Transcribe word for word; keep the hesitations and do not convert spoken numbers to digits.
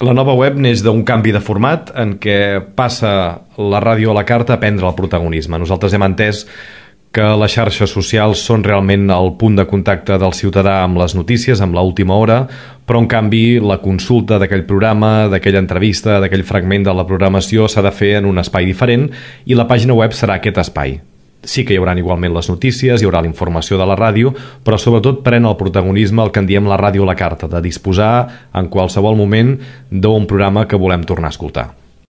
La nova web neix d'un canvi de format en què passa la ràdio a la carta a prendre el protagonisme. Nosaltres hem entès que les xarxes socials són realment el punt de contacte del ciutadà amb les notícies, amb l'última hora, però en canvi la consulta d'aquell programa, d'aquella entrevista, d'aquell fragment de la programació s'ha de fer en un espai diferent i la pàgina web serà aquest espai. Sí que hi haurà igualment les notícies, hi haurà la informació de la ràdio, però sobretot pren el protagonisme el que en diem la ràdio a la carta, de disposar en qualsevol moment d'un programa que volem tornar a escoltar.